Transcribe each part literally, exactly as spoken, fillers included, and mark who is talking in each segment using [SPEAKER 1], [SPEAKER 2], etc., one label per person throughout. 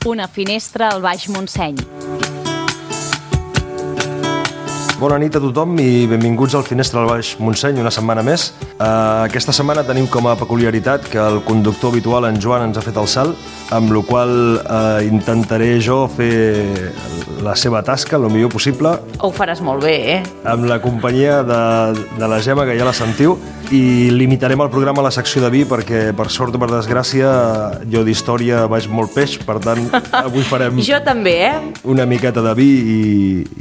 [SPEAKER 1] Una finestra al Baix Montseny.
[SPEAKER 2] Bona nit a tothom i benvinguts al Finestra al Baix Montseny, una setmana més. Uh, aquesta setmana tenim com a peculiaritat que el conductor habitual, en Joan, ens ha fet el salt, amb la qual uh, intentaré jo fer la seva tasca el millor possible.
[SPEAKER 1] Ho faràs molt bé, eh?
[SPEAKER 2] Amb la companyia de, de la Gemma, que ja la sentiu, i limitarem el programa a la secció de vi perquè, per sort o per desgràcia, jo d'història vaig molt peix, per tant, avui farem...
[SPEAKER 1] Jo també, eh?
[SPEAKER 2] Una miqueta de vi i,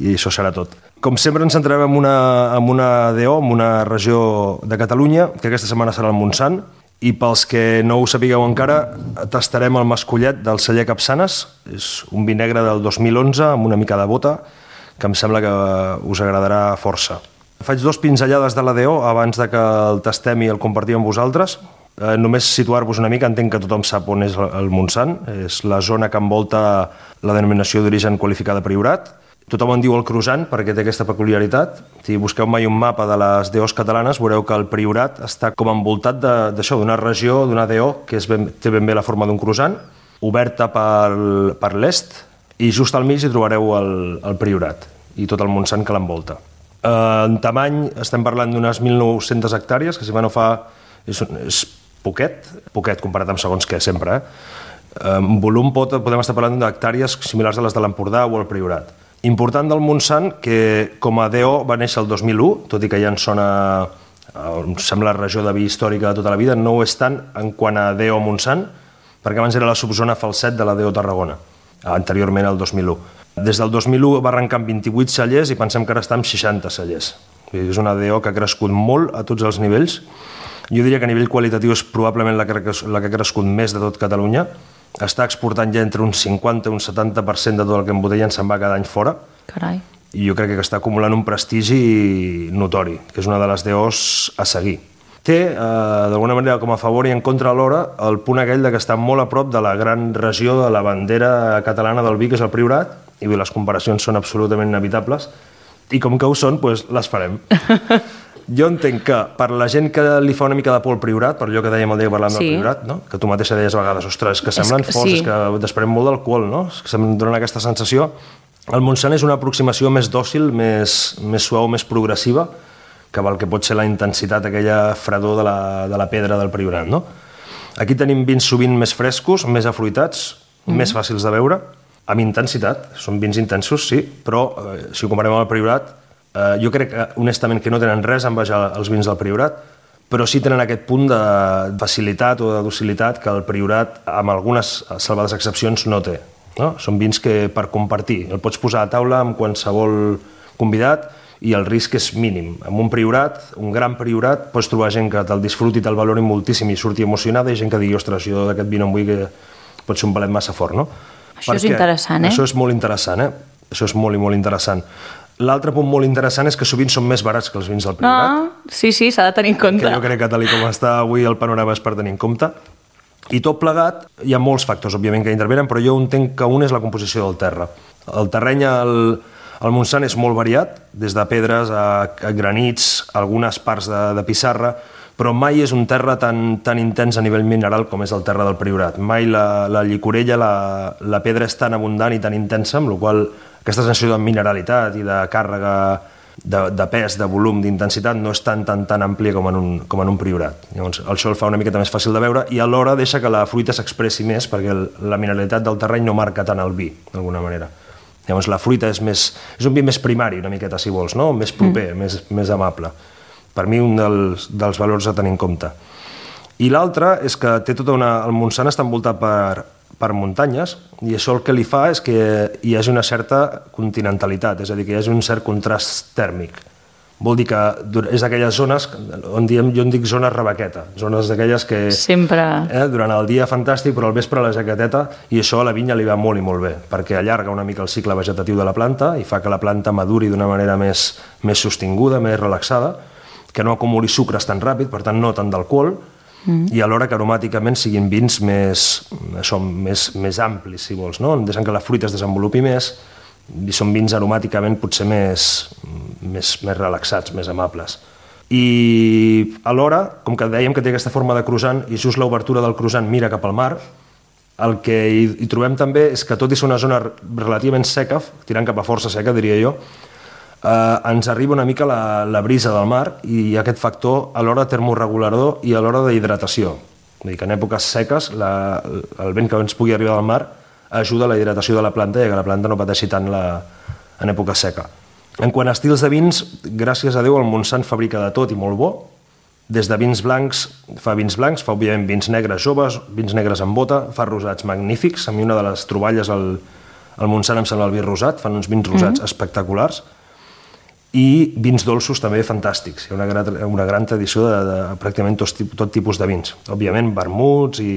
[SPEAKER 2] i això serà tot. Com sempre ens centrarem en una, en una D O, en una regió de Catalunya, que aquesta setmana serà el Montsant, i pels que no ho sapigueu encara, tastarem el mascullet del celler Capçanes. És un vi negre del dos mil onze, amb una mica de bota, que em sembla que us agradarà força. Faig dos pinzellades de la D O abans de que el tastem i el compartim amb vosaltres. Eh, només situar-vos una mica, entenc que tothom sap on és el Montsant. És la zona que envolta la denominació d'origen qualificada Priorat. Tothom en diu el croissant perquè té aquesta peculiaritat. Si busqueu mai un mapa de les D Os catalanes, veureu que el Priorat està com envoltat d'això, d'una regió, d'una D O, que és ben, té ben bé la forma d'un croissant, oberta per, per l'est, i just al mig hi trobareu el, el Priorat i tot el Montsant que l'envolta. Eh, en tamany estem parlant d'unes mil nou-centes hectàrees, que si va no fa... És, és poquet, poquet comparat amb segons què, sempre. Eh? En volum pot, podem estar parlant d'hectàrees similars a les de l'Empordà o el Priorat. Important del Montsant, que com a D O va néixer el dos mil u, tot i que ja en sona, em sembla, regió de vi històrica de tota la vida, no ho és tant en quant a D O Montsant, perquè abans era la subzona Falset de la D O Tarragona, anteriorment al dos mil u. Des del dos mil u va arrencar amb vint-i-vuit cellers i pensem que ara està amb seixanta cellers. És una D O que ha crescut molt a tots els nivells. Jo diria que a nivell qualitatiu és probablement la que, la que ha crescut més de tot Catalunya. Està exportant ja entre un cinquanta i un setanta per cent de tot el que embotellen se'n va cada any fora.
[SPEAKER 1] Carai.
[SPEAKER 2] I jo crec que està acumulant un prestigi notori, que és una de les D Os a seguir. Té, eh, d'alguna manera, com a favor i en contra alhora, el punt aquell de que està molt a prop de la gran regió de la bandera catalana del vi, que és el Priorat, i bé, les comparacions són absolutament inevitables, i com que ho són, doncs les farem. Jo entenc que per la gent que li fa una mica de por al Priorat, per allò que dèiem el dia que parlàvem sí. del Priorat, no? Que tu mateixa deies a vegades, ostres, que semblen forts, sí. que desprèn molt d'alcohol, no? Que se'm donen aquesta sensació. El Montsant és una aproximació més dòcil, més, més suau, més progressiva, que el que pot ser la intensitat, aquella fredor de la, de la pedra del Priorat, no? Aquí tenim vins sovint més frescos, més afruitats, mm. més fàcils de beure, amb intensitat. Són vins intensos, sí, però eh, si ho comparem amb el Priorat, Uh, jo crec, que, honestament, que no tenen res a envejar els vins del Priorat, però sí tenen aquest punt de facilitat o de docilitat que el Priorat, amb algunes salvades excepcions, no té. No? Són vins que per compartir, el pots posar a taula amb qualsevol convidat i el risc és mínim. Amb un Priorat, un gran Priorat, pots trobar gent que te'l disfruti, te'l valori moltíssim i surti emocionada, i gent que digui, ostres, jo d'aquest vi no em vull, que pot ser un palet massa fort, no?
[SPEAKER 1] Això Perquè és interessant, eh?
[SPEAKER 2] Això és molt interessant, eh? Això és molt i molt interessant. L'altre punt molt interessant és que sovint són més barats que els vins del Priorat.
[SPEAKER 1] No, sí, sí, s'ha de tenir en compte.
[SPEAKER 2] Que jo crec que tal com està avui el panorama és per tenir en compte. I tot plegat, hi ha molts factors, òbviament, que intervenen, però jo entenc que un és la composició del terra. El terreny al, al Montsant és molt variat, des de pedres a, a granits, algunes parts de, de pissarra, però mai és un terra tan, tan intens a nivell mineral com és el terra del Priorat. Mai la, la llicorella, la, la pedra és tan abundant i tan intensa, amb la qual aquesta sensació de mineralitat i de càrrega, de, de pes, de volum, d'intensitat, no és tan, tan, tan àmplia com en un, com en un Priorat. Llavors, això el fa una miqueta més fàcil de veure i alhora deixa que la fruita s'expressi més perquè el, la mineralitat del terreny no marca tant el vi, d'alguna manera. Llavors, la fruita és, més, és un vi més primari, una miqueta, si vols, no? Més proper, mm. més, més amable. Per mi, un dels, dels valors a tenir en compte. I l'altre és que té tota una... El Montsant està envoltat per, per muntanyes i això el que li fa és que hi hagi una certa continentalitat, és a dir, que hi hagi un cert contrast tèrmic. Vol dir que és d'aquelles zones on diem, jo en dic zones rebequeta, zones d'aquelles que
[SPEAKER 1] sempre
[SPEAKER 2] eh, durant el dia fantàstic, però al vespre la jaqueteta, i això a la vinya li va molt i molt bé, perquè allarga una mica el cicle vegetatiu de la planta i fa que la planta maduri d'una manera més, més sostinguda, més relaxada, que no acumuli sucres tan ràpid, per tant no tant d'alcohol, mm. i alhora que aromàticament siguin vins més, això, més, més amplis, si vols, no? Deixant que la fruita es desenvolupi més, i són vins aromàticament potser més, més, més relaxats, més amables. I alhora, com que dèiem que té aquesta forma de croissant, i just l'obertura del croissant mira cap al mar, El que hi, hi trobem també és que tot i ser una zona relativament seca, tirant cap a força seca, diria jo, eh, ens arriba una mica la, la brisa del mar i aquest factor a l'hora termorregulador i a l'hora d'hidratació. Vull dir que en èpoques seques la, el vent que ens pugui arribar del mar ajuda a la hidratació de la planta i que la planta no pateixi tant la, en època seca. En quant a estils de vins, gràcies a Déu el Montsant fabrica de tot i molt bo, des de vins blancs, fa vins blancs, fa òbviament vins negres joves, vins negres amb bota, fa rosats magnífics. A mi una de les troballes al, al Montsant em sembla el vi rosat, fan uns vins rosats mm-hmm. espectaculars, i vins dolços també fantàstics. Hi ha una gran, una gran tradició de, de pràcticament tot, tot tipus de vins. Òbviament vermuts i,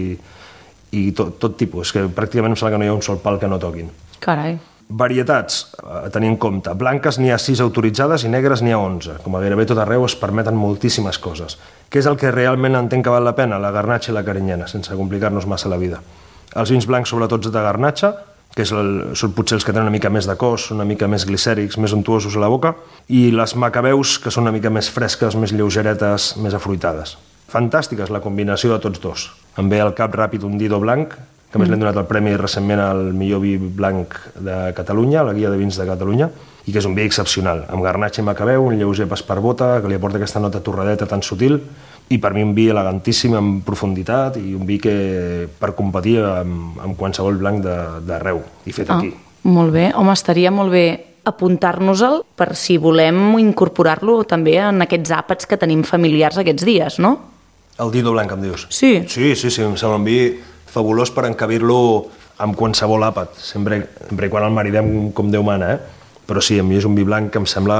[SPEAKER 2] i tot, tot tipus, que pràcticament em sembla que no hi ha un sol pal que no toquin.
[SPEAKER 1] Carai.
[SPEAKER 2] Varietats, a tenir en compte. Blanques n'hi ha sis autoritzades i negres n'hi ha onze. Com a gairebé tot arreu es permeten moltíssimes coses. Què és el que realment entenc que val la pena? La garnatxa i la carinyena, sense complicar-nos massa la vida. Els vins blancs, sobretot de garnatxa, que és el, són potser els que tenen una mica més de cos, una mica més glicèrics, més untuosos a la boca, i les macabeus, que són una mica més fresques, més lleugeretes, més afruitades. Fantàstica és la combinació de tots dos. Em ve al cap ràpid un Dido blanc, que a més mm. l'hem donat el premi recentment al millor vi blanc de Catalunya, a la guia de vins de Catalunya, i que és un vi excepcional, amb garnatxa i macabeu, un lleuger pas per bota, que li aporta aquesta nota torradeta tan sutil, i per mi un vi elegantíssim en profunditat i un vi que per competir amb, amb qualsevol blanc d'arreu i fet ah, aquí.
[SPEAKER 1] Molt bé, home, estaria molt bé apuntar-nos-el per si volem incorporar-lo també en aquests àpats que tenim familiars aquests dies, no?
[SPEAKER 2] El Dido blanc, em dius?
[SPEAKER 1] Sí.
[SPEAKER 2] Sí, sí, sí, em sembla un vi fabulós per encabir-lo amb qualsevol àpat, sempre, sempre quan el maridem com Déu mana, eh? Però sí, a mi és un vi blanc que em sembla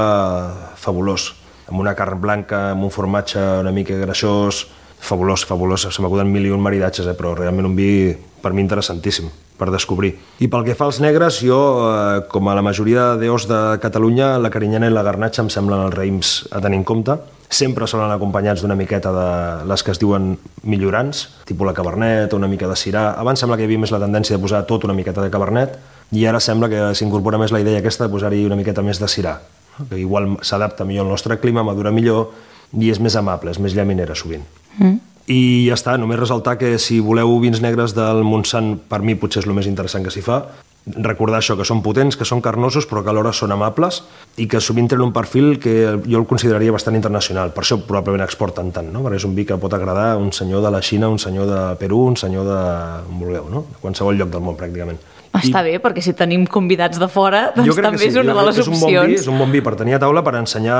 [SPEAKER 2] fabulós, amb una carn blanca, amb un formatge una mica greixós, fabulós, fabulós, se m'acuden mil i un maridatges, eh? Però realment un vi per mi interessantíssim per descobrir. I pel que fa als negres, jo, eh, com a la majoria d'eos de Catalunya, la carinyena i la garnatxa em semblen els raïms a tenir en compte. Sempre solen acompanyats d'una miqueta de les que es diuen millorants, tipus la cabernet o una mica de sirà. Abans sembla que hi havia més la tendència de posar tot una miqueta de cabernet i ara sembla que s'incorpora més la idea aquesta de posar-hi una miqueta més de sirà, que igual s'adapta millor al nostre clima, madura millor i és més amable, és més llaminera sovint. Mm. I ja està, només ressaltar que si voleu vins negres del Montsant, per mi potser és el més interessant que s'hi fa. Recordar això, que són potents, que són carnosos, però que alhora són amables i que sovint tenen un perfil que jo el consideraria bastant internacional. Per això probablement exporten tant, no? Perquè és un vi que pot agradar a un senyor de la Xina, un senyor de Perú, un senyor de... on vulgueu, no? De qualsevol lloc del món, pràcticament.
[SPEAKER 1] Està I... bé, perquè si tenim convidats de fora, doncs també sí. és una de les
[SPEAKER 2] és
[SPEAKER 1] opcions.
[SPEAKER 2] Un bon vi, és un bon vi per tenir a taula, per ensenyar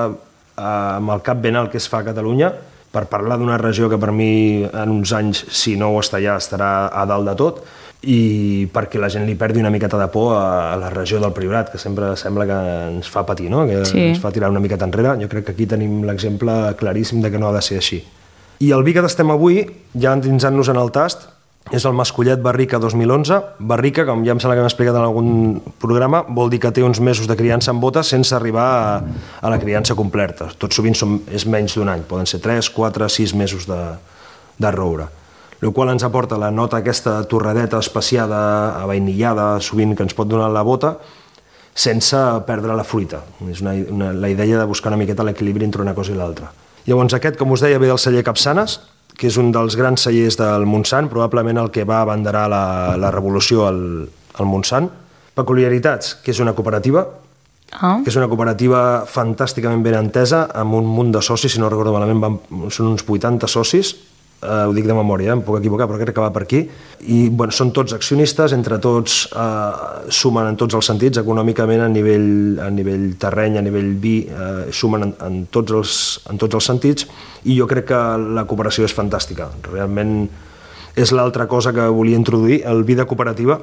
[SPEAKER 2] eh, amb el cap ben alt que es fa a Catalunya, per parlar d'una regió que per mi en uns anys, si no ho està ja, estarà a dalt de tot, i perquè la gent li perdi una miqueta de por a la regió del Priorat, que sempre sembla que ens fa patir, no? Que sí. ens fa tirar una miqueta enrere. Jo crec que aquí tenim l'exemple claríssim de que no ha de ser així. I el vi que tastem avui, ja endinsant-nos en el tast, és el Mascollet Barrica dos mil onze. Barrica, com ja em sembla que m'he explicat en algun programa, vol dir que té uns mesos de criança en bota sense arribar a, a la criança completa. Tot sovint som, és menys d'un any, poden ser tres, quatre, sis mesos de, de roure. El qual ens aporta la nota aquesta torradeta especiada, avainillada, sovint que ens pot donar la bota, sense perdre la fruita. És una, una, la idea de buscar una miqueta l'equilibri entre una cosa i l'altra. Llavors aquest, com us deia, ve del celler Capçanes, que és un dels grans cellers del Montsant, probablement el que va abanderar la, la revolució al, al Montsant. Peculiaritats, que és una cooperativa, ah. que és una cooperativa fantàsticament ben entesa, amb un munt de socis, si no recordo malament, van, són uns vuitanta socis, Uh, ho dic de memòria, eh? Em puc equivocar, però crec que va per aquí. I bueno, són tots accionistes, entre tots uh, sumen en tots els sentits, econòmicament, a nivell, a nivell terreny, a nivell vi, uh, sumen en, en, tots els, en tots els sentits, i jo crec que la cooperació és fantàstica. Realment és l'altra cosa que volia introduir, el vi de cooperativa,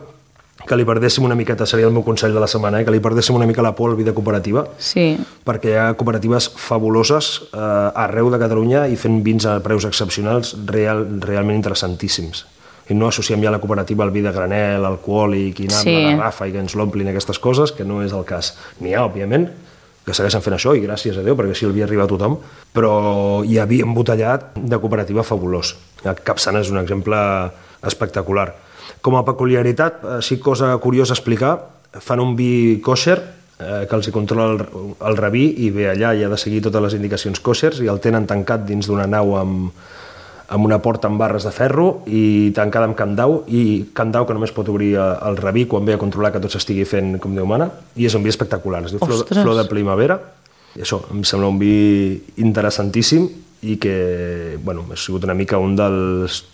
[SPEAKER 2] que li perdéssim una miqueta, seria el meu consell de la setmana, eh? que li perdéssim una mica la por al vi de cooperativa,
[SPEAKER 1] sí.
[SPEAKER 2] perquè hi ha cooperatives fabuloses eh, arreu de Catalunya i fent vins a preus excepcionals real, realment interessantíssims. I no associem ja la cooperativa al vi de granel, alcohòlic, i anar sí. amb la garrafa i que ens l'omplin aquestes coses, que no és el cas. N'hi ha, òbviament, que segueixen fent això, i gràcies a Déu, perquè així el vi arriba a tothom, però hi ha vi embotellat de cooperativa fabulós. Capçanes és un exemple espectacular. Com a peculiaritat, així cosa curiosa a explicar, fan un vi kosher, eh, que els hi controla el, el rabí, i ve allà i ha de seguir totes les indicacions koshers, i el tenen tancat dins d'una nau amb, amb una porta amb barres de ferro i tancada amb candau, i candau que només pot obrir el rabí quan ve a controlar que tot s'estigui fent com Déu mana, i és un vi espectacular, es diu flor, flor de primavera, i això, em sembla un vi interessantíssim i que, bueno, ha sigut una mica un dels,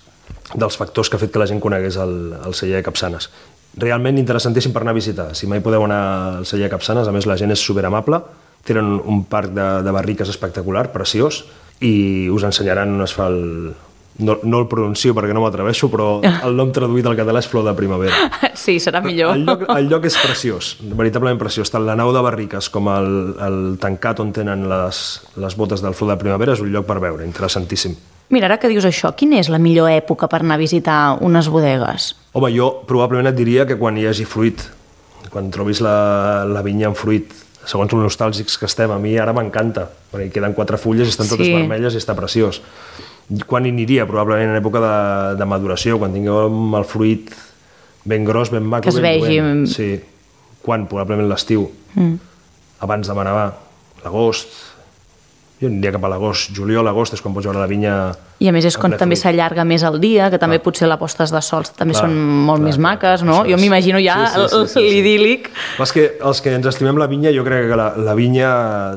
[SPEAKER 2] dels factors que ha fet que la gent conegués el, el celler de Capçanes. Realment interessantíssim per anar a visitar. Si mai podeu anar al celler de Capçanes, a més la gent és superamable, tenen un parc de, de barriques espectacular, preciós, i us ensenyaran on es fa el... No, no el pronuncio perquè no m'atreveixo, però el nom traduït al català és flor de primavera.
[SPEAKER 1] Sí, serà millor.
[SPEAKER 2] El lloc, el lloc és preciós, veritablement preciós. Tant la nau de barriques com el, el tancat on tenen les, les botes del flor de primavera és un lloc per veure, interessantíssim.
[SPEAKER 1] Mira, ara que dius això, quina és la millor època per anar a visitar unes bodegues?
[SPEAKER 2] Home, jo probablement et diria que quan hi hagi fruit, quan trobis la, la vinya en fruit, segons els nostàlgics que estem, a mi ara m'encanta, perquè queden quatre fulles i estan totes sí. vermelles i està preciós. Quan hi aniria? Probablement en època de, de maduració, quan tinguem el fruit ben gros, ben maco,
[SPEAKER 1] que es
[SPEAKER 2] ben
[SPEAKER 1] vegi.
[SPEAKER 2] Duent. Sí. Quan? Probablement l'estiu. Mm. Abans de manar, l'agost. Jo aniria cap a l'agost. Juliol, agost és quan pots veure la vinya...
[SPEAKER 1] I a més és quan també s'allarga més el dia, que també clar. Potser les postes de sol també clar, són molt clar, més maques, clar, no? Jo m'imagino ja sí, sí, sí, sí, l'idíl·lic.
[SPEAKER 2] Sí. Que els que ens estimem la vinya, jo crec que la, la vinya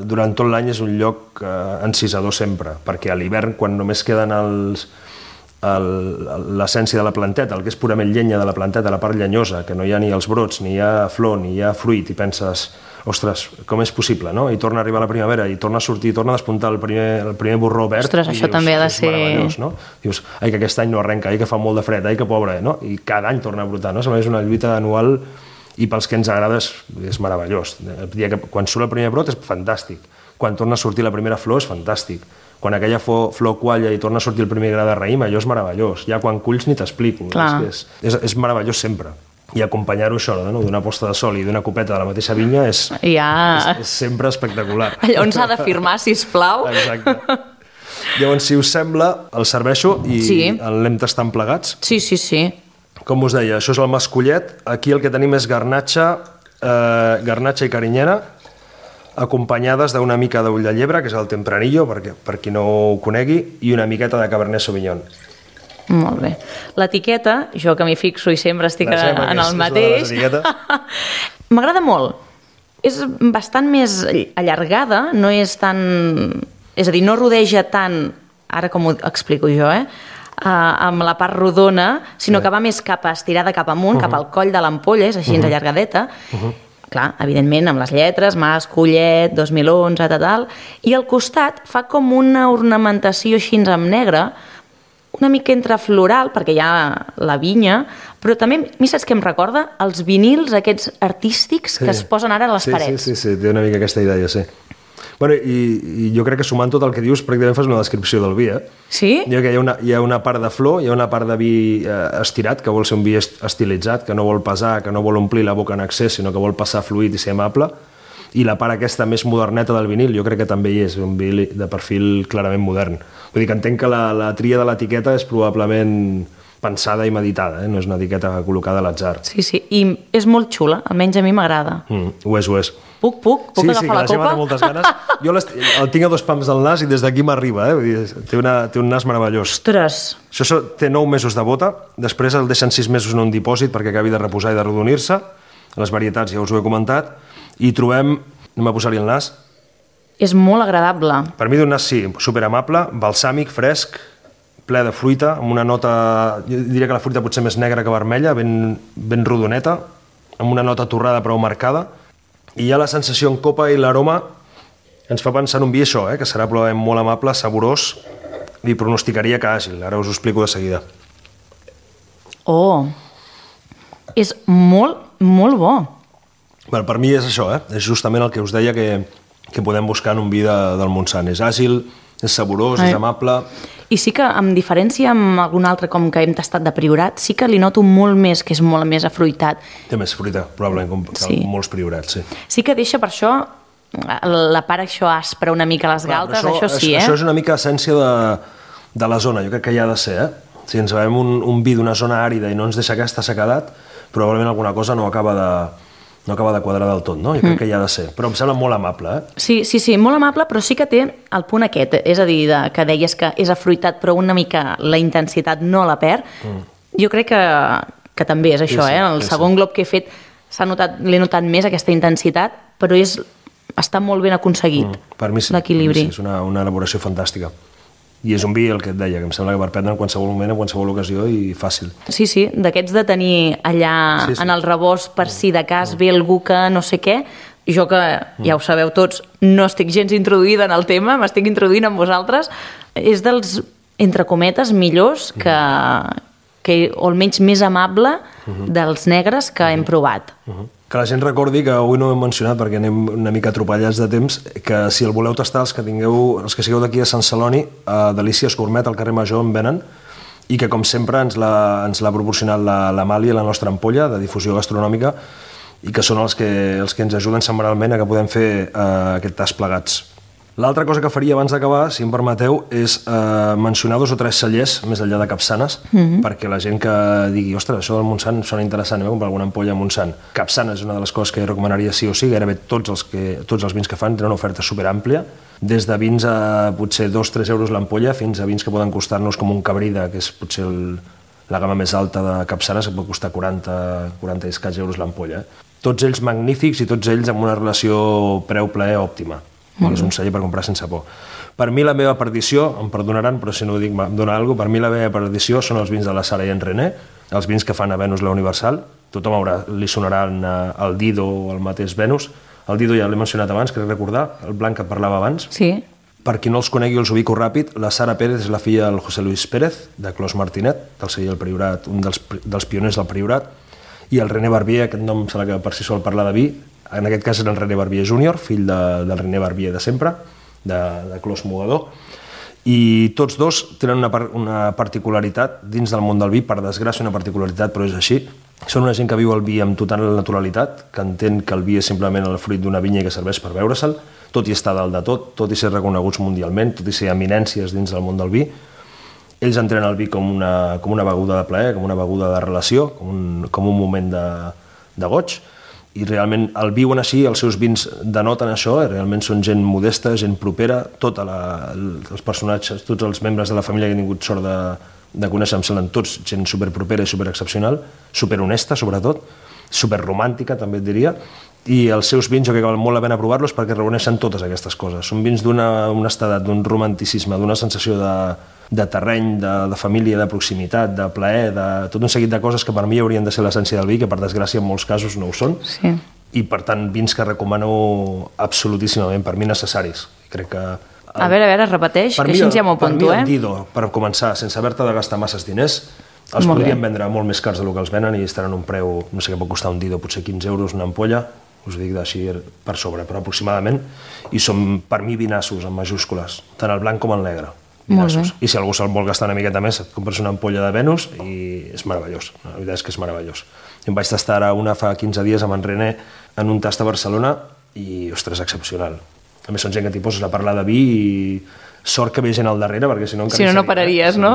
[SPEAKER 2] durant tot l'any és un lloc eh, encisador sempre, perquè a l'hivern, quan només queden els... l'essència de la planteta, el que és purament llenya de la planteta, la part llenyosa, que no hi ha ni els brots, ni hi ha flor, ni hi ha fruit, i penses, ostres, com és possible, no? I torna a arribar la primavera, i torna a sortir, torna a despuntar el primer, el primer borró verd.
[SPEAKER 1] Ostres, això dius, també ha de ser...
[SPEAKER 2] meravellós, no? Dius, ai, que aquest any no arrenca, ai, que fa molt de fred, ai, que pobre, no? I cada any torna a brotar, no? És una lluita anual i pels que ens agrada és, és meravellós. El dia que, quan surt el primer brot és fantàstic. Quan torna a sortir la primera flor és fantàstic. Quan aquella flor, flor qualla i torna a sortir el primer gra de raïm, allò és meravellós. Ja quan culls ni t'explico. És, és, és meravellós sempre. I acompanyar-ho això, no? D'una posta de sol i d'una copeta de la mateixa vinya és, ja. és, és sempre espectacular.
[SPEAKER 1] Allò on s'ha de firmar, sisplau.
[SPEAKER 2] Exacte. Llavors, si us sembla, el serveixo i sí. l'anem tastant plegats.
[SPEAKER 1] Sí, sí, sí.
[SPEAKER 2] Com us deia, això és el mascollet. Aquí el que tenim és garnatxa, eh, garnatxa i carinyena, acompanyades d'una mica d'ull de llebre, que és el tempranillo, perquè, per qui no ho conegui, i una miqueta de cabernet sauvignon.
[SPEAKER 1] Molt bé. L'etiqueta, jo que m'hi fixo i sempre estic en el és, mateix, m'agrada molt. És bastant més allargada, no és tan... És a dir, no rodeja tant, ara com ho explico jo, eh? Uh, amb la part rodona, sinó sí. que va més cap a estirada cap amunt, uh-huh. cap al coll de l'ampolla, és així uh-huh. allargadeta. Uh-huh. Clar, evidentment, amb les lletres, Mas, Collet, dos mil onze, tal, tal, i al costat fa com una ornamentació així amb negre, una mica entre floral, perquè hi ha la vinya, però també, mi saps què em recorda? Els vinils aquests artístics sí. que es posen ara a les
[SPEAKER 2] sí,
[SPEAKER 1] parets.
[SPEAKER 2] Sí, sí, sí, té una mica aquesta idea, sí. Bueno, i, i jo crec que sumant tot el que dius, pràcticament fas una descripció del vi, eh?
[SPEAKER 1] Sí?
[SPEAKER 2] Jo que hi ha, una, hi ha una part de flor, hi ha una part de vi eh, estirat, que vol ser un vi estilitzat, que no vol pesar, que no vol omplir la boca en excés, sinó que vol passar fluid i ser amable, i la part aquesta més moderneta del vinil, jo crec que també hi és, un vi de perfil clarament modern. Vull dir que entenc que la, la tria de l'etiqueta és probablement pensada i meditada, eh? No és una etiqueta col·locada a l'atzar.
[SPEAKER 1] Sí, sí, i és molt xula, almenys a mi m'agrada.
[SPEAKER 2] Mm, ho és, ho és.
[SPEAKER 1] Puc, puc? Puc
[SPEAKER 2] sí,
[SPEAKER 1] agafar
[SPEAKER 2] sí,
[SPEAKER 1] la, la copa? Sí, sí, que la Gemma
[SPEAKER 2] té moltes ganes. Jo el tinc a dos pams del nas i des d'aquí m'arriba, eh? Vull dir, té, una, té un nas meravellós.
[SPEAKER 1] Ostres!
[SPEAKER 2] Això té nou mesos de bota, després el deixen sis mesos en un dipòsit perquè acabi de reposar i de rodonir-se. Les varietats ja us ho he comentat. I trobem... Anem a posar-hi el nas.
[SPEAKER 1] És molt agradable.
[SPEAKER 2] Per mi d'un nas, sí, superamable, balsàmic, fresc, ple de fruita, amb una nota... Jo diria que la fruita pot ser més negra que vermella, ben, ben rodoneta, amb una nota torrada però marcada. I hi ha la sensació en copa i l'aroma ens fa pensar en un vi això, eh, que serà probablement molt amable, saborós, i pronosticaria que àgil. Ara us ho explico de seguida.
[SPEAKER 1] Oh! És molt, molt bo.
[SPEAKER 2] Bueno, per mi és això, eh? És justament el que us deia que, que podem buscar en un vi de, del Montsant. És àgil, és saborós, Ai. és amable...
[SPEAKER 1] I sí que, amb diferència amb algun altre com que hem tastat de Priorat, sí que li noto molt més, que és molt més afruitat.
[SPEAKER 2] Té més fruita, probablement, com sí. molts Priorats, sí.
[SPEAKER 1] Sí que deixa per això la part això aspra una mica a les galtes, Clar, això, això sí, eh?
[SPEAKER 2] Això és una mica essència de, de la zona, jo crec que hi ha de ser, eh? Si ens veiem un, un vi d'una zona àrida i no ens deixa aquesta sequedat, probablement alguna cosa no acaba de, no acaba de quadrar del tot, no? Jo crec mm. que hi ha de ser. Però em sembla molt amable, eh?
[SPEAKER 1] Sí, sí, sí, molt amable, però sí que té el punt aquest, és a dir, de, que deies que és afruitat, però una mica la intensitat no la perd. Mm. Jo crec que, que també és això, sí, sí, eh? El sí, segon sí. glob que he fet s'ha notat, l'he notat més, aquesta intensitat, però és, està molt ben aconseguit, mm. per mi sí, l'equilibri.
[SPEAKER 2] Sí, és una, una elaboració fantàstica. I és un vi, el que et deia, que em sembla que per prendre en qualsevol moment, en qualsevol ocasió i fàcil.
[SPEAKER 1] Sí, sí, d'aquests de tenir allà sí, sí. en el rebost per si de cas ve algú que no sé què, jo que ja ho sabeu tots, no estic gens introduïda en el tema, m'estic introduint amb vosaltres, és dels, entre cometes, millors que, que o almenys més amable dels negres que hem provat.
[SPEAKER 2] Que la gent recordi que avui no ho hem mencionat perquè anem una mica atropellats de temps, que si el voleu tastar, els que tingueu, els que sigueu d'aquí a Sant Celoni, a Delícies Gourmet, al carrer Major, en venen, i que com sempre ens l'ha ens l'ha proporcionat l'Amàlia, la nostra ampolla de difusió gastronòmica, i que són els que, els que ens ajuden setmanalment a que podem fer eh, aquest tast plegats. L'altra cosa que faria abans d'acabar, si em permeteu, és eh, mencionar dos o tres cellers més enllà de Capçanes, mm-hmm. perquè la gent que digui, ostres, això del Montsant sona interessant, anem a comprar alguna ampolla a Montsant. Capçanes és una de les coses que recomanaria sí o sí, gairebé tots els, que, tots els vins que fan tenen una oferta superàmplia, des de vins a potser dos a tres euros l'ampolla fins a vins que poden costar-nos com un Cabrida, que és potser el, la gamma més alta de Capçanes, que pot costar quaranta, quaranta i escaig euros l'ampolla. Tots ells magnífics i tots ells amb una relació preu-plaer òptima. Mm. És un celler per comprar sense por. Per mi la meva perdició, em perdonaran, però si no ho dic em dona alguna cosa, per mi la meva perdició són els vins de la Sara i en René, els vins que fan a Venus la Universal, tothom haurà, li sonaran el Dido o el mateix Venus, el Dido ja l'he mencionat abans, crec recordar, el blanc que parlava abans.
[SPEAKER 1] Sí.
[SPEAKER 2] Per qui no els conegui, els ubico ràpid, la Sara Pérez és la filla del José Luis Pérez, de Clos Martinet, del celler del Priorat, un dels, dels pioners del Priorat, i el René Barbier, aquest nom serà que per si sol parlar de vi, en aquest cas era el René Barbier júnior, fill de, del René Barbier de sempre, de, de Clos Mogador, i tots dos tenen una, una particularitat dins del món del vi, per desgràcia una particularitat, però és així. Són una gent que viu el vi amb total naturalitat, que entén que el vi és simplement el fruit d'una vinya que serveix per beure-se'l, tot i estar dalt de tot, tot i ser reconeguts mundialment, tot i ser eminències dins del món del vi. Ells entenen el vi com una, com una beguda de plaer, com una beguda de relació, com un, com un moment de, de goig, i realment el viuen així, els seus vins denoten això, realment són gent modesta, gent propera, tota la, els personatges, tots els membres de la família que han tingut sort de, de conèixer, em semblen tots gent superpropera i superexcepcional, superhonesta sobretot, superromàntica també et diria, i els seus vins jo crec que val molt la pena provar-los perquè reuneixen totes aquestes coses. Són vins d'una honestedat, d'un romanticisme, d'una sensació de, de terreny, de, de família, de proximitat, de plaer, de tot un seguit de coses que per mi haurien de ser l'essència del vi, que per desgràcia en molts casos no ho són.
[SPEAKER 1] Sí.
[SPEAKER 2] I per tant vins que recomano absolutíssimament, per mi necessaris. Crec que... El,
[SPEAKER 1] a veure, a veure, repeteix, que així ja m'ho apunto, eh?
[SPEAKER 2] Per mi el Dido, per començar, sense haver-te de gastar masses diners, els molt podrien bé. Vendre molt més cars del que els venen i estaran un preu, no sé què pot costar un Dido, potser quinze euros una ampolla, us dic d'així per sobre, però aproximadament, i són per mi vinassos en majúscules, tant el blanc com el negre. Vinassos. I si algú se'l vol gastar una miqueta més, et compres una ampolla de Venus i és meravellós, la veritat és que és meravellós. Jo em vaig tastar ara una fa quinze dies amb en René en un tast a Barcelona i, ostres, excepcional. A més, són gent que t'hi poses a parlar de vi i sort que ve gent al darrere, perquè si no...
[SPEAKER 1] Si no, no pararies, no?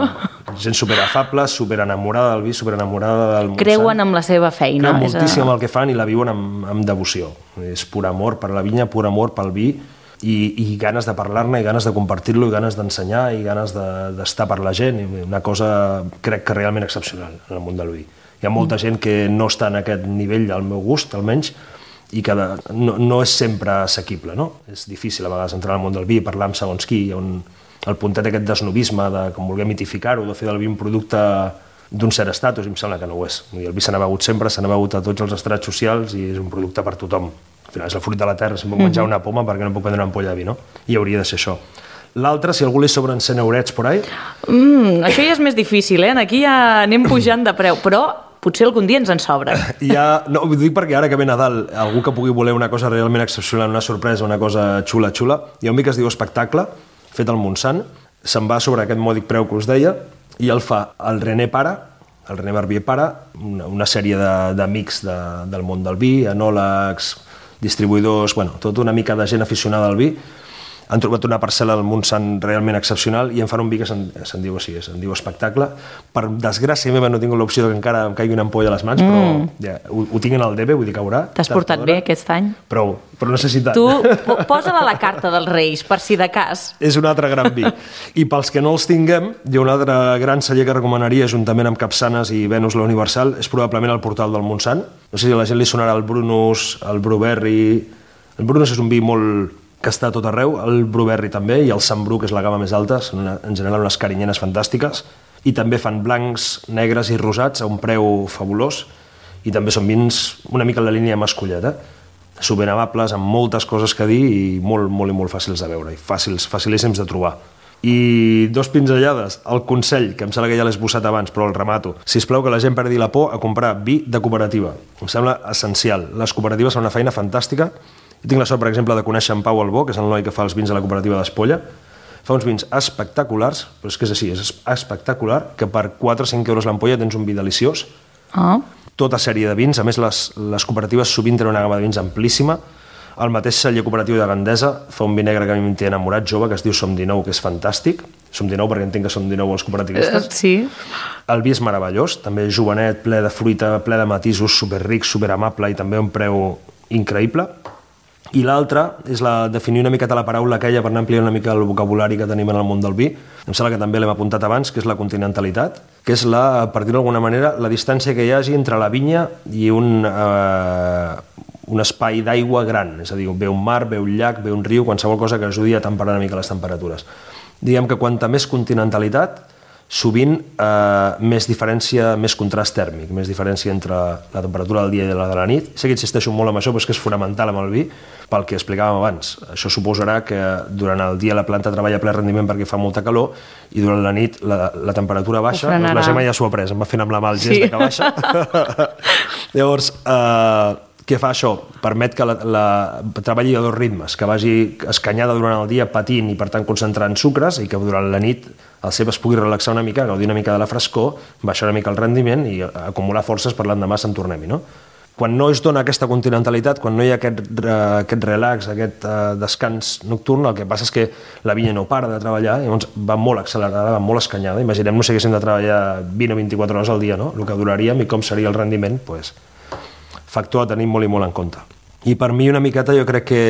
[SPEAKER 2] Gent superafable, superenamorada del vi, superenamorada del Montsant.
[SPEAKER 1] Creuen amb la seva feina.
[SPEAKER 2] Creuen moltíssim amb el que fan i la viuen amb, amb devoció. És pur amor per la vinya, pur amor pel vi i, i ganes de parlar-ne, i ganes de compartir-lo, i ganes d'ensenyar, i ganes d'estar de, per la gent. Una cosa, crec que realment excepcional en el món del vi. Hi ha molta gent que no està en aquest nivell, al meu gust, almenys, i que de, no, no és sempre assequible, no? És difícil a vegades entrar al món del vi, parlar amb segons qui, on el puntet aquest d'esnobisme, de com voler mitificar-ho, de fer del vi un producte d'un cert estatus, i em sembla que no ho és. El vi se n'ha begut sempre, se n'ha begut a tots els estrats socials i és un producte per tothom. Al final és el fruit de la terra, si em puc menjar una poma perquè no puc prendre una ampolla de vi, no? I hauria de ser això. L'altre, si algú li sobren cent eurets por ahí...
[SPEAKER 1] Mm, això ja és més difícil, eh? Aquí ja anem pujant de preu, però potser algun dia ens en sobra.
[SPEAKER 2] Ja, no, ho dic perquè ara que ve Nadal, algú que pugui voler una cosa realment excepcional, una sorpresa, una cosa xula, xula, hi ha un vi que es diu Espectacle, fet al Montsant, se'n va sobre aquest mòdic preu que us deia, i el fa el René Pare, el René Barbier Pare, una, una sèrie d'amics de, de, del món del vi, enòlegs, distribuïdors, bueno, tota una mica de gent aficionada al vi, han trobat una parcel·la al Montsant realment excepcional i en fan un vi que se'n se diu així, se'n diu espectacle. Per desgràcia meva no tinc l'opció que encara em caigui una ampolla a les mans, mm. però ja, ho, ho tinc en el D B, vull dir que haurà.
[SPEAKER 1] T'has portat bé aquest any?
[SPEAKER 2] Prou, però no sé si tant.
[SPEAKER 1] Tu posa-la a la carta dels Reis, per si de cas.
[SPEAKER 2] És un altre gran vi. I pels que no els tinguem, hi ha un altre gran celler que recomanaria, juntament amb Capçanes i Venus la Universal, és probablement el Portal del Montsant. No sé si a la gent li sonarà el Brunus, el Bruberri... El Brunus és un vi molt... que està a tot arreu, el Bruberri també, i el Sant Bru, que és la gamma més alta, són una, en general unes carinyenes fantàstiques, i també fan blancs, negres i rosats a un preu fabulós, i també són vins una mica en la línia mascullet, eh? Superamables, amb moltes coses que dir i molt, molt i molt fàcils de veure, i fàcils, facilíssims de trobar. I dos pinzellades, el consell, que em sembla que ja l'he esbossat abans, però el remato. Sisplau, que la gent perdi la por a comprar vi de cooperativa. Em sembla essencial. Les cooperatives fan una feina fantàstica. Jo tinc la sort, per exemple, de conèixer en Pau Albó, que és el noi que fa els vins a la cooperativa d'Espolla. Fa uns vins espectaculars, però és que és així, és espectacular, que per quatre o cinc euros l'ampolla tens un vi deliciós.
[SPEAKER 1] Oh.
[SPEAKER 2] Tota sèrie de vins, a més les, les cooperatives sovint tenen una gamma de vins amplíssima. El mateix celler cooperatiu de Gandesa fa un vi negre que a mi m'hi té enamorat, jove, que es diu Som dinou, que és fantàstic. Som dinou perquè entenc que som dinou els cooperativistes.
[SPEAKER 1] Uh, sí.
[SPEAKER 2] El vi és meravellós, també jovenet, ple de fruita, ple de matisos, superric, superamable i també a un preu increïble. I l'altra és la definir una miqueta la paraula aquella per anar ampliant una mica el vocabulari que tenim en el món del vi. Em sembla que també l'hem apuntat abans, que és la continentalitat, que és, la, per dir-ho d'alguna manera, la distància que hi hagi entre la vinya i un, eh, un espai d'aigua gran. És a dir, ve un mar, ve un llac, ve un riu, qualsevol cosa que ajudi a temperar una mica les temperatures. Diguem que quanta més continentalitat, sovint eh, més diferència, més contrast tèrmic, més diferència entre la temperatura del dia i la de la nit. Sé que insisteixo molt en això, però és que és fonamental amb el vi, pel que explicàvem abans. Això suposarà que durant el dia la planta treballa a ple rendiment perquè fa molta calor i durant la nit la, la temperatura baixa. Doncs la Gemma ja s'ho ha pres, em va fent amb la mà el gest sí. de que baixa. Llavors, eh, què fa això? Permet que la, la treballi a dos ritmes, que vagi escanyada durant el dia patint i per tant concentrant sucres i que durant la nit el cep es pugui relaxar una mica, gaudir una mica de la frescor, baixar una mica el rendiment i acumular forces per l'endemà se'n tornem-hi, no? Quan no es dona aquesta continentalitat, quan no hi ha aquest, aquest relax, aquest uh, descans nocturn, el que passa és que la vinya no para de treballar, llavors va molt accelerada, va molt escanyada. Imaginem-nos si haguéssim de treballar vint o vint-i-quatre hores al dia, no? El que duraríem i com seria el rendiment, pues, factor a tenir molt i molt en compte. I per mi una miqueta jo crec que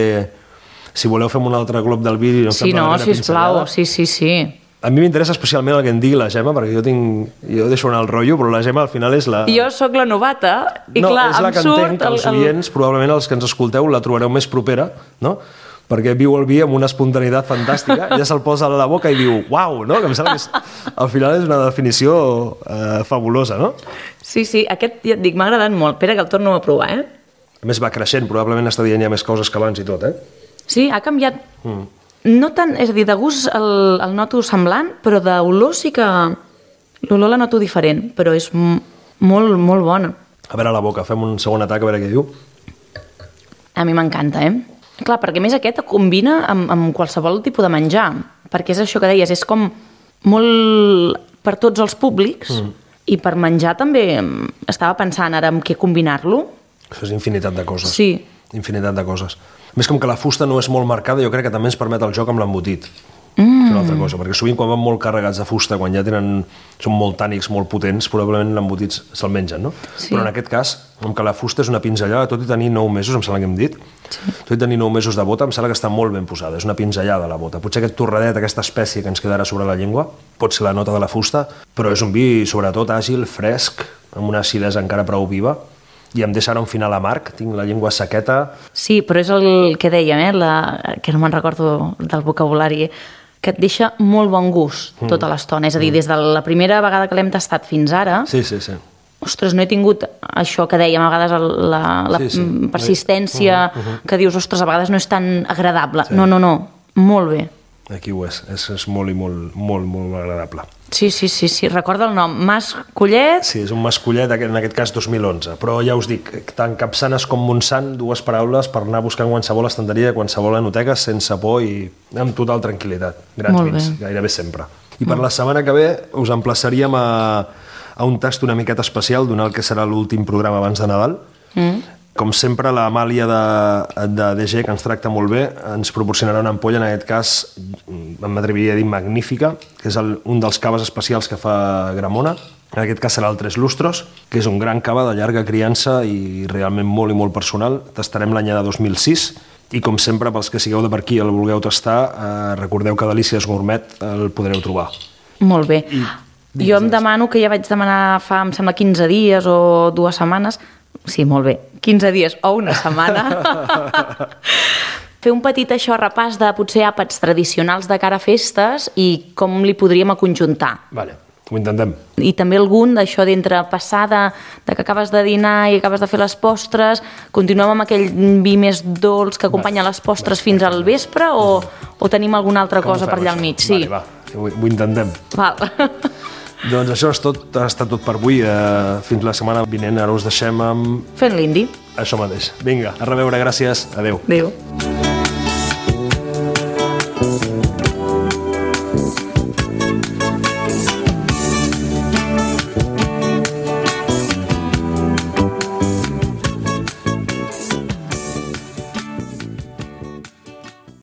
[SPEAKER 2] si voleu fem un altre glob del vídeo...
[SPEAKER 1] Sí, no, sisplau, sí, sí, sí.
[SPEAKER 2] A mi m'interessa especialment el que en digui la Gemma, perquè jo tinc, jo deixo anar el rotllo, però la Gemma al final és la...
[SPEAKER 1] Jo sóc la novata, i
[SPEAKER 2] no,
[SPEAKER 1] clar,
[SPEAKER 2] és la
[SPEAKER 1] em
[SPEAKER 2] que
[SPEAKER 1] surt...
[SPEAKER 2] entenc que els oients, el... probablement els que ens escolteu, la trobareu més propera, no? Perquè viu el vi amb una espontaneïtat fantàstica, ja se'l posa a la boca i diu, uau, no? Que em sembla que és, al final és una definició eh, fabulosa, no?
[SPEAKER 1] Sí, sí, aquest, ja et dic, m'ha agradat molt. Espera que el torno a provar, eh?
[SPEAKER 2] A més va creixent, probablement està dient ja més coses que abans i tot, eh?
[SPEAKER 1] Sí, ha canviat... Mm. No tant, és a dir, de gust el, el noto semblant, però d'olor sí que... L'olor la noto diferent, però és molt, molt bona.
[SPEAKER 2] A veure a la boca, fem un segon atac, a veure què diu.
[SPEAKER 1] A mi m'encanta, eh? Clar, perquè a més aquest combina amb, amb qualsevol tipus de menjar, perquè és això que deies, és com molt per tots els públics, mm. i per menjar també estava pensant ara en què combinar-lo.
[SPEAKER 2] Això és infinitat de coses.
[SPEAKER 1] Sí.
[SPEAKER 2] Infinitat de coses. A més, com que la fusta no és molt marcada, jo crec que també ens permet el joc amb l'embotit. Mm. És una altra cosa, perquè sovint quan van molt carregats de fusta, quan ja tenen, són molt tànics, molt potents, probablement l'embotit se'l mengen, no? Sí. Però en aquest cas, com que la fusta és una pinzellada, tot i tenir nou mesos, em sembla que hem dit, sí. tot i tenir nou mesos de bota, em sembla que està molt ben posada, és una pinzellada la bota. Potser aquest torradet, aquesta espècie que ens quedarà sobre la llengua, pot ser la nota de la fusta, però és un vi, sobretot, àgil, fresc, amb una acidesa encara prou viva, i em deixa ara un final amarg, tinc la llengua sequeta... Sí,
[SPEAKER 1] però és el que dèiem, eh? La, que no me'n recordo del vocabulari, que et deixa molt bon gust tota mm. l'estona. És a dir, des de la primera vegada que l'hem tastat fins ara...
[SPEAKER 2] Sí, sí, sí.
[SPEAKER 1] Ostres, no he tingut això que dèiem, a vegades la, la sí, sí. persistència, uh -huh, uh -huh. que dius, ostres, a vegades no és tan agradable. Sí. No, no, no, molt bé.
[SPEAKER 2] Aquí ho és, és, és molt i molt, molt, molt agradable.
[SPEAKER 1] Sí, sí, sí, sí, recorda el nom, Mas Collet.
[SPEAKER 2] Sí, és un Mas Collet, en aquest cas dos mil onze, però ja us dic, tant Capçanes com Montsant, dues paraules per anar buscant qualsevol estanteria, qualsevol enoteca, sense por i amb total tranquil·litat. Grans vins, gairebé sempre. I per la setmana que ve us emplaçaríem a, a un tast una miqueta especial, donat que serà l'últim programa abans de Nadal. Mm. Com sempre, l'Amàlia de, de D G, que ens tracta molt bé, ens proporcionarà una ampolla, en aquest cas, m'atreviria a dir magnífica, que és el, un dels caves especials que fa Gramona. En aquest cas serà el Tres Lustros, que és un gran cava de llarga criança i realment molt i molt personal. Tastarem l'any de dos mil sis i, com sempre, pels que sigueu de per aquí i el vulgueu tastar, eh, recordeu que Delícies Gourmet el podreu trobar.
[SPEAKER 1] Molt bé. I, jo em demano, que ja vaig demanar fa, em sembla, quinze dies o dues setmanes, sí, molt bé, quinze dies o una setmana, fer un petit això repàs de potser àpats tradicionals de cara a festes i com li podríem aconjuntar.
[SPEAKER 2] Vale. Ho intentem.
[SPEAKER 1] I també algun d'això d'entre passar de, de que acabes de dinar i acabes de fer les postres, continuem amb aquell vi més dolç que acompanya les postres fins al vespre o, o tenim alguna altra Com cosa per allà al mig? Sí.
[SPEAKER 2] Vale, va, ho, ho intentem.
[SPEAKER 1] Val.
[SPEAKER 2] Doncs això és tot, ha estat tot per avui. Eh, fins la setmana vinent, ara us deixem amb...
[SPEAKER 1] Fent l'indi.
[SPEAKER 2] Això mateix. Vinga, a reveure, gràcies. Adéu.
[SPEAKER 1] Adéu.